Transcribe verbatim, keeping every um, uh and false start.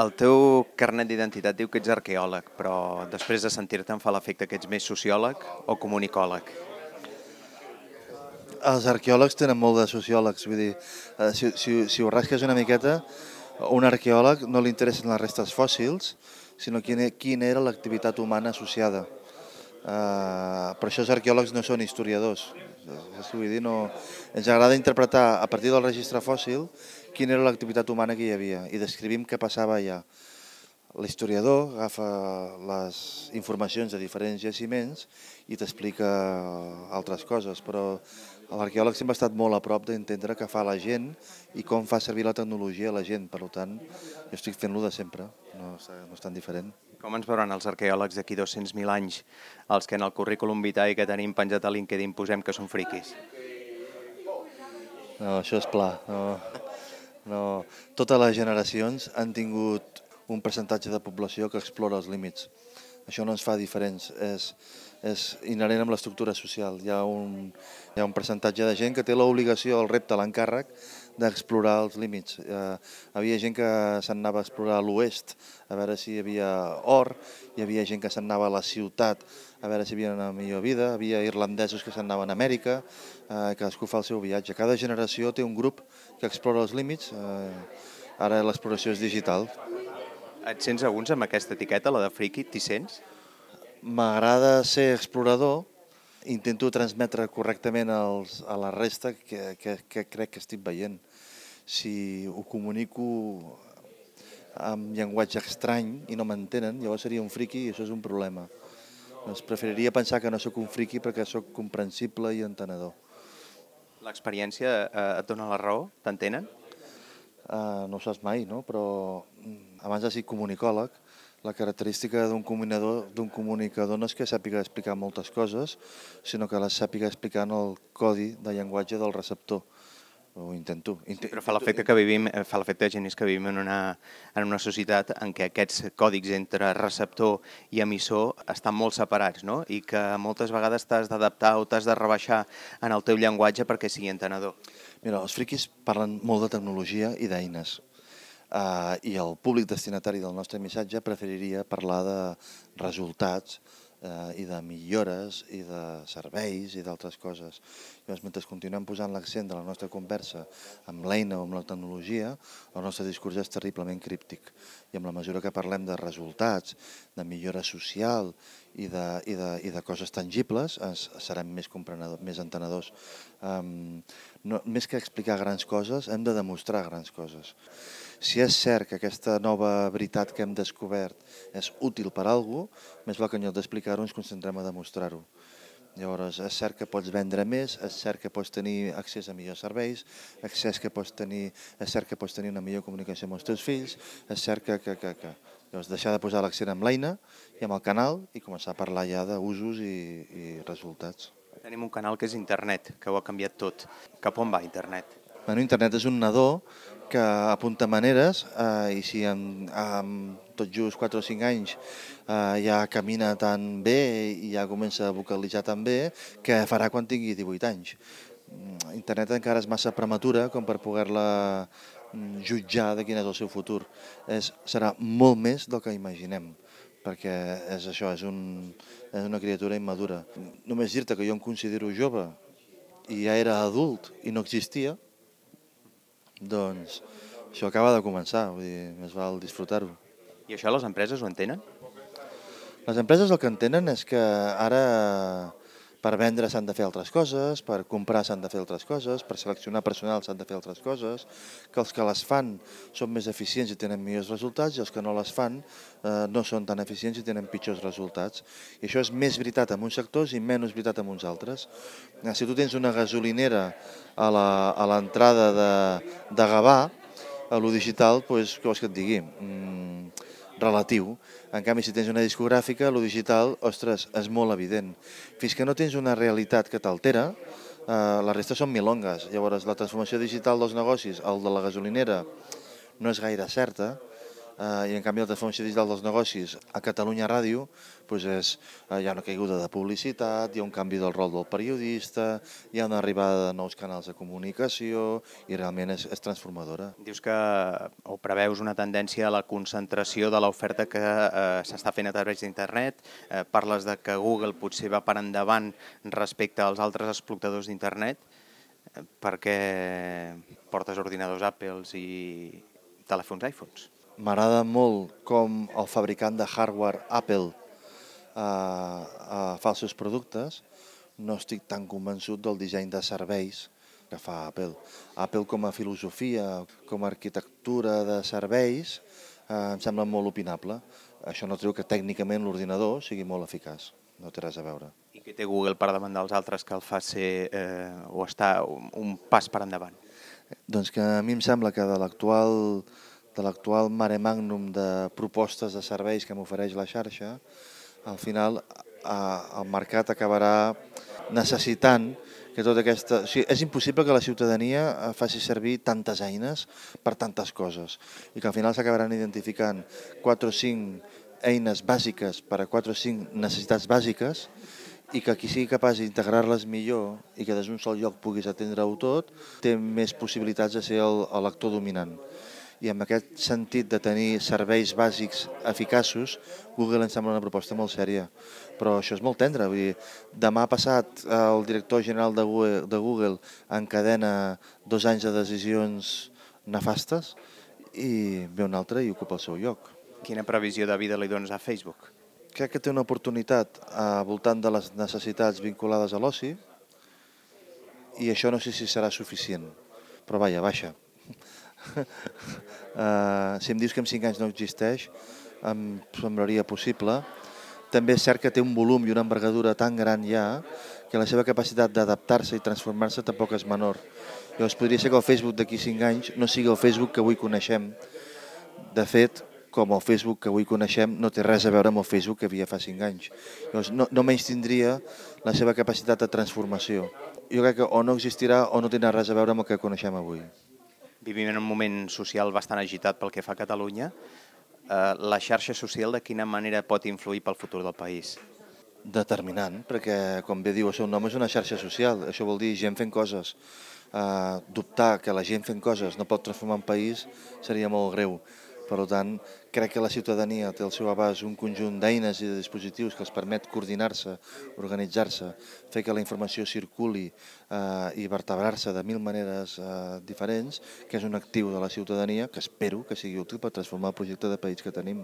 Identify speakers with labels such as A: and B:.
A: El teu carnet d'identitat diu que ets arqueòleg, però després de sentir-te em fa l'efecte que ets més sociòleg o comunicòleg.
B: Els arqueòlegs tenen molt de sociòlegs, vull dir, eh, si, si, si ho rasques una miqueta, a un arqueòleg no li interessen les restes fòssils, sinó quina, quina era l'activitat humana associada. Uh, per això els arqueòlegs no són historiadors. És que vull dir, no... Ens agrada interpretar a partir del registre fòssil quina era l'activitat humana que hi havia i descrivim què passava allà. L'historiador agafa les informacions de diferents jaciments i t'explica altres coses, però l'arqueòleg sempre ha estat molt a prop d'entendre què fa la gent i com fa servir la tecnologia a la gent. Per tant, jo estic fent-lo de sempre, no, no és tan diferent.
A: Com ens veuran els arqueòlegs d'aquí dos-cents mil anys, els que en el currículum vitae que tenim penjat a LinkedIn posem que són friquis?
B: No, això és pla. No, no. Totes les generacions han tingut un percentatge de població que explora els límits. Això no ens fa diferents, és, és inherent amb l'estructura social. Hi ha, un, hi ha un percentatge de gent que té l'obligació, el repte, l'encàrrec d'explorar els límits. Eh, havia gent que se'n anava a explorar a l'oest a veure si hi havia or, hi havia gent que se'n anava a la ciutat a veure si hi havia una millor vida, hi havia irlandesos que se'n anaven a Amèrica, eh, cadascú fa el seu viatge. Cada generació té un grup que explora els límits, eh, ara l'exploració és digital.
A: Et sents alguns amb aquesta etiqueta, la de friqui? T'hi sents?
B: M'agrada ser explorador, intento transmetre correctament els, a la resta que, que, que crec que estic veient. Si ho comunico amb llenguatge estrany i no m'entenen, llavors seria un friqui i això és un problema. Doncs preferiria pensar que no sóc un friqui perquè sóc comprensible i entenedor.
A: L'experiència eh, et dona la raó? T'entenen?
B: Uh, no ho saps mai, no? Però abans de ser comunicòleg, la característica d'un comunicador, d'un comunicador no és que sàpiga explicar moltes coses, sinó que les sàpiga explicar en el codi de llenguatge del receptor. Ho intento.
A: Sí, però fa l'efecte que vivim, fa l'efecte de Genís que vivim en una, en una societat en què aquests còdics entre receptor i emissor estan molt separats, no? I que moltes vegades t'has d'adaptar o t'has de rebaixar en el teu llenguatge perquè sigui entenedor.
B: Mira, els friquis parlen molt de tecnologia i d'eines. Uh, I el públic destinatari del nostre missatge preferiria parlar de resultats uh, i de millores i de serveis i d'altres coses. Llavors, mentre continuem posant l'accent de la nostra conversa amb l'eina o amb la tecnologia, el nostre discurs és terriblement críptic. I amb la mesura que parlem de resultats, de millora social i de, i de, i de coses tangibles, ens, serem més, més entenedors. Um, no, més que explicar grans coses, hem de demostrar grans coses. Si és cert que aquesta nova veritat que hem descobert és útil per a algú, més val que en lloc d'explicar-ho ens concentrem a demostrar-ho. Llavors, és cert que pots vendre més, és cert que pots tenir accés a millors serveis, és cert que pots tenir, és cert que pots tenir una millor comunicació amb els teus fills, és cert que... que, que, que. Llavors, deixar de posar l'accent amb l'eina i amb el canal i començar a parlar ja d'usos i, i resultats.
A: Tenim un canal que és internet, que ho ha canviat tot. Cap on va internet?
B: Bueno, internet és un nadó que apunta maneres eh, i si en, en tot just quatre o cinc anys eh, ja camina tan bé i ja comença a vocalitzar tan bé, què farà quan tingui divuit anys? Internet encara és massa prematura com per poder-la jutjar de quin és el seu futur. És, serà molt més del que imaginem, perquè és això, és, un, és una criatura immadura. Només dir-te que jo em considero jove i ja era adult i no existia, doncs això acaba de començar, vull dir, més val disfrutar-ho.
A: I això les empreses ho entenen?
B: Les empreses el que entenen és que ara per vendre s'han de fer altres coses, per comprar s'han de fer altres coses, per seleccionar personal s'han de fer altres coses, que els que les fan són més eficients i tenen millors resultats i els que no les fan eh, no són tan eficients i tenen pitjors resultats. I això és més veritat en uns sectors i menys veritat en uns altres. Si tu tens una gasolinera a l'entrada de, de Gavà, a lo digital, doncs, què vols que et digui? Mm, relatiu. En canvi, si tens una discogràfica, lo digital, ostres, és molt evident. Fins que no tens una realitat que t'altera, eh, la resta són milongues. Llavors, la transformació digital dels negocis, el de la gasolinera, no és gaire certa. eh, i en canvi la transformació digital dels negocis a Catalunya Ràdio doncs és, eh, hi ha una caiguda de publicitat, hi ha un canvi del rol del periodista, hi ha una arribada de nous canals de comunicació i realment és, és transformadora.
A: Dius que o preveus una tendència a la concentració de l'oferta que eh, s'està fent a través d'internet, eh, parles de que Google potser va per endavant respecte als altres explotadors d'internet, eh, perquè portes ordinadors Apple i telèfons iPhones.
B: M'agrada molt com el fabricant de hardware Apple eh, eh, fa els seus productes. No estic tan convençut del disseny de serveis que fa Apple. Apple com a filosofia, com a arquitectura de serveis, eh, em sembla molt opinable. Això no treu que tècnicament l'ordinador sigui molt eficaç. No té res a veure.
A: I què té Google per davant dels altres que el fa ser eh, o està un, un pas per endavant?
B: Doncs que a mi em sembla que de l'actual de l'actual mare magnum de propostes de serveis que m'ofereix la xarxa, al final eh, el mercat acabarà necessitant que tota aquesta... O sigui, és impossible que la ciutadania faci servir tantes eines per tantes coses i que al final s'acabaran identificant quatre o cinc eines bàsiques per a quatre o cinc necessitats bàsiques i que qui sigui capaç d'integrar-les millor i que des d'un sol lloc puguis atendre-ho tot, té més possibilitats de ser el, el lector dominant. I en aquest sentit de tenir serveis bàsics eficaços, Google em sembla una proposta molt sèria. Però això és molt tendre. Vull dir, demà passat el director general de Google, de Google encadena dos anys de decisions nefastes i ve un altre i ocupa el seu lloc.
A: Quina previsió de vida li dones a Facebook?
B: Crec que té una oportunitat al voltant de les necessitats vinculades a l'oci i això no sé si serà suficient, però vaja, baixa. uh, si em dius que en cinc anys no existeix, em semblaria possible. També és cert que té un volum i una envergadura tan gran ja que la seva capacitat d'adaptar-se i transformar-se tampoc és menor. Llavors podria ser que el Facebook d'aquí cinc anys no sigui el Facebook que avui coneixem. De fet, com el Facebook que avui coneixem no té res a veure amb el Facebook que havia fa cinc anys. Llavors no, no menys tindria la seva capacitat de transformació. Jo crec que o no existirà o no tindrà res a veure amb el que coneixem avui.
A: Vivim en un moment social bastant agitat pel que fa a Catalunya. Eh, la xarxa social de quina manera pot influir pel futur del país?
B: Determinant, perquè com bé diu el seu nom és una xarxa social, això vol dir gent fent coses. Uh, dubtar que la gent fent coses no pot transformar un país seria molt greu. Per tant, crec que la ciutadania té al seu abast un conjunt d'eines i de dispositius que els permet coordinar-se, organitzar-se, fer que la informació circuli eh, i vertebrar-se de mil maneres eh, diferents, que és un actiu de la ciutadania que espero que sigui útil per transformar el projecte de país que tenim.